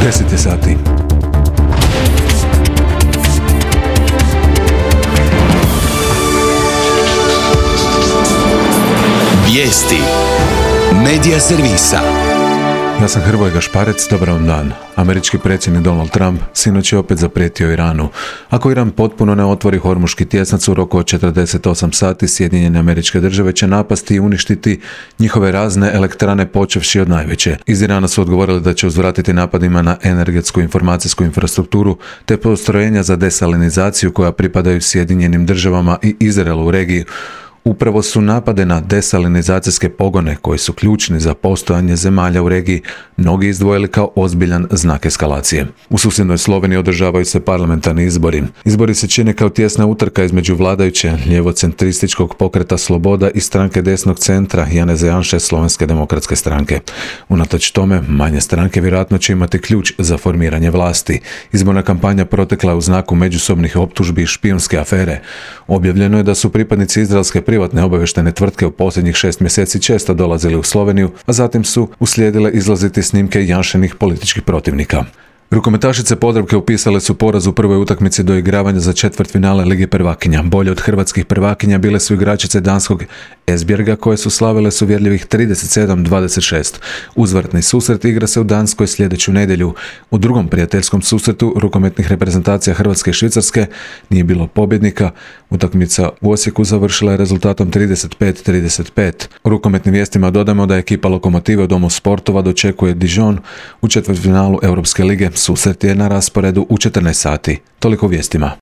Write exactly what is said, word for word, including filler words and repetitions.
deset je sati. Vijesti Medija servisa. Ja sam Hrvoje Gašparec, dobar vam dan. Američki predsjednik Donald Trump sinoć je opet zaprijetio Iranu. Ako Iran potpuno ne otvori Hormuški tjesnac u roku od četrdeset osam sati, Sjedinjene Američke Države će napasti i uništiti njihove razne elektrane počevši od najveće. Iz Irana su odgovorili da će uzvratiti napadima na energetsku informacijsku infrastrukturu te postrojenja za desalinizaciju koja pripadaju Sjedinjenim Državama i Izraelu u regiji. Upravo su napade na desalinizacijske pogone, koji su ključni za postojanje zemalja u regiji, mnogi izdvojili kao ozbiljan znak eskalacije. U susjednoj Sloveniji održavaju se parlamentarni izbori. Izbori se čine kao tjesna utrka između vladajuće ljevocentrističkog pokreta Sloboda i stranke desnog centra Janeza Janše Slovenske demokratske stranke. Unatoč tome, manje stranke vjerojatno će imati ključ za formiranje vlasti. Izborna kampanja protekla u znaku međusobnih optužbi i špijunske afere. Objavljeno je da su pripadnici izraelske privatne obavještajne tvrtke u posljednjih šest mjeseci često dolazili u Sloveniju, a zatim su uslijedile izlaziti snimke Janšenih političkih protivnika. Rukometašice Podravke upisale su poraz u prvoj utakmici do igravanja za četvrtfinale Lige prvakinja. Bolje od hrvatskih prvakinja bile su igračice danskog Esbjerga koje su slavile s uvjerljivih trideset sedam dvadeset šest. Uzvratni susret igra se u Danskoj sljedeću nedjelju. U drugom prijateljskom susretu rukometnih reprezentacija Hrvatske i Švicarske nije bilo pobjednika. Utakmica u Osijeku završila je rezultatom trideset pet trideset pet. U rukometnim vijestima dodamo da ekipa Lokomotive u Domu sportova dočekuje Dijon u četvrtfinalu Europske lige. Susret je na rasporedu u četrnaest sati. Toliko vijestima.